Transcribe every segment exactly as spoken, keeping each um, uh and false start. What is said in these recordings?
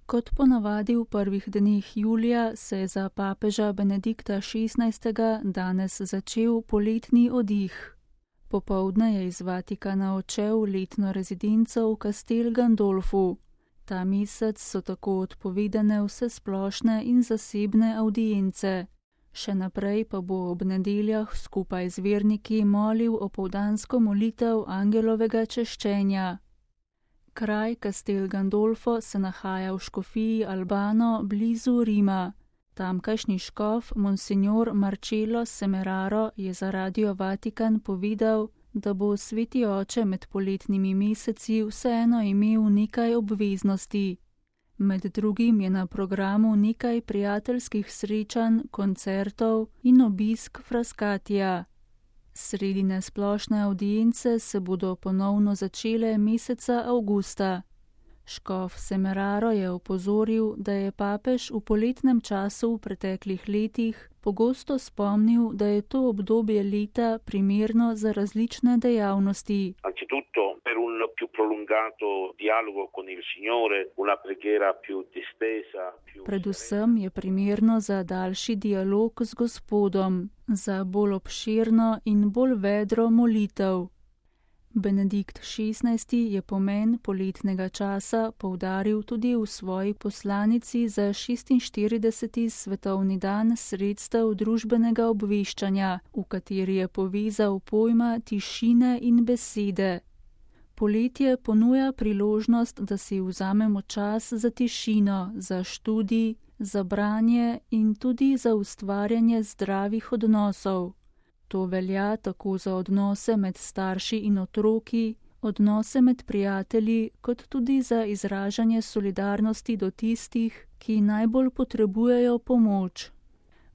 Kot ponavadi v prvih dneh julija se je za papeža Benedikta šestnajstega danes začel poletni oddih. Popoldne je iz Vatikana odšel v letno rezidenco v Castel Gandolfu. Ta mesec so tako odpovedane vse splošne in zasebne avdience. Še naprej pa bo ob nedeljah skupaj z verniki molil opoldansko molitev angelovega češčenja. Kraj Castel Gandolfo se nahaja v škofiji Albano blizu Rima. Tamkajšnji škof Monsignor Marcello Semeraro je za Radio Vatikan povedal, da bo sveti oče med poletnimi meseci vseeno imel nekaj obveznosti. Med drugim je na programu nekaj prijateljskih srečanj, koncertov in obisk Frascatija. Sredi nesplošne avdience se bodo ponovno začele meseca avgusta. Škof Semeraro je opozoril, da je papež v poletnem času v preteklih letih pogosto spomnil, da je to obdobje leta primerno za različne dejavnosti. Per un più prolungato dialogo con il Signore, una preghiera più distesa, più Predvsem je primerno za daljši dialog z Gospodom, za bolj obširno in bolj vedro molitev. Benedikt šestnajsti je pomen poletnega časa poudaril tudi v svoji poslanici za šestinštirideseti svetovni dan sredstev družbenega obveščanja, v kateri je povezal pojma tišine in besede. Poletje ponuja priložnost, da si vzamemo čas za tišino, za študij, za branje in tudi za ustvarjanje zdravih odnosov. To velja tako za odnose med starši in otroki, odnose med prijatelji, kot tudi za izražanje solidarnosti do tistih, ki najbolj potrebujejo pomoč.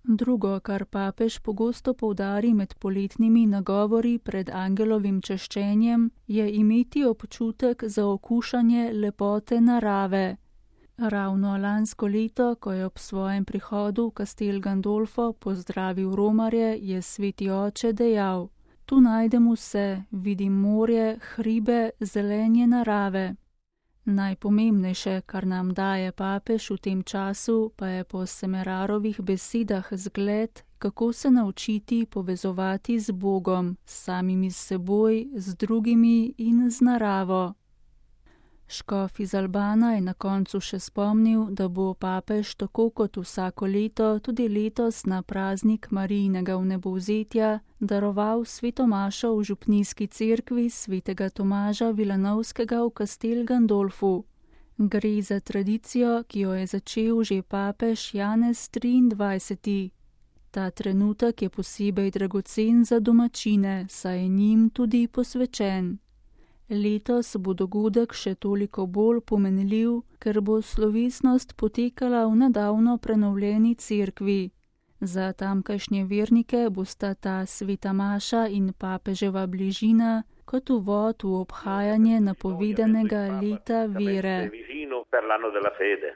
Drugo, kar papež pogosto poudari med poletnimi nagovori pred angelovim češčenjem, je imeti občutek za okušanje lepote narave. Ravno lansko leto, ko je ob svojem prihodu v Castel Gandolfo pozdravil romarje, je sveti oče dejal: Tu najdem vse, vidim morje, hribe, zelenje narave. Najpomembnejše, kar nam daje papež v tem času, pa je po Semerarovih besedah zgled, kako se naučiti povezovati z Bogom, s samimi s seboj, z drugimi in z naravo. Škof iz Albana je na koncu še spomnil, da bo papež tako kot vsako leto tudi letos na praznik Marijinega vnebovzetja daroval sveto mašo v župnijski cerkvi svetega Tomaža Vilanovskega v Castel Gandolfu. Gre za tradicijo, ki jo je začel že papež Janez triindvajseti. Ta trenutek je posebej dragocen za domačine, saj je njim tudi posvečen. Letos bo dogodek še toliko bolj pomenljiv, ker bo slovesnost potekala v nedavno prenovljeni cerkvi. Za tamkajšnje vernike bosta ta sveta maša in papeževa bližina kot uvod v obhajanje napovedanega leta vere.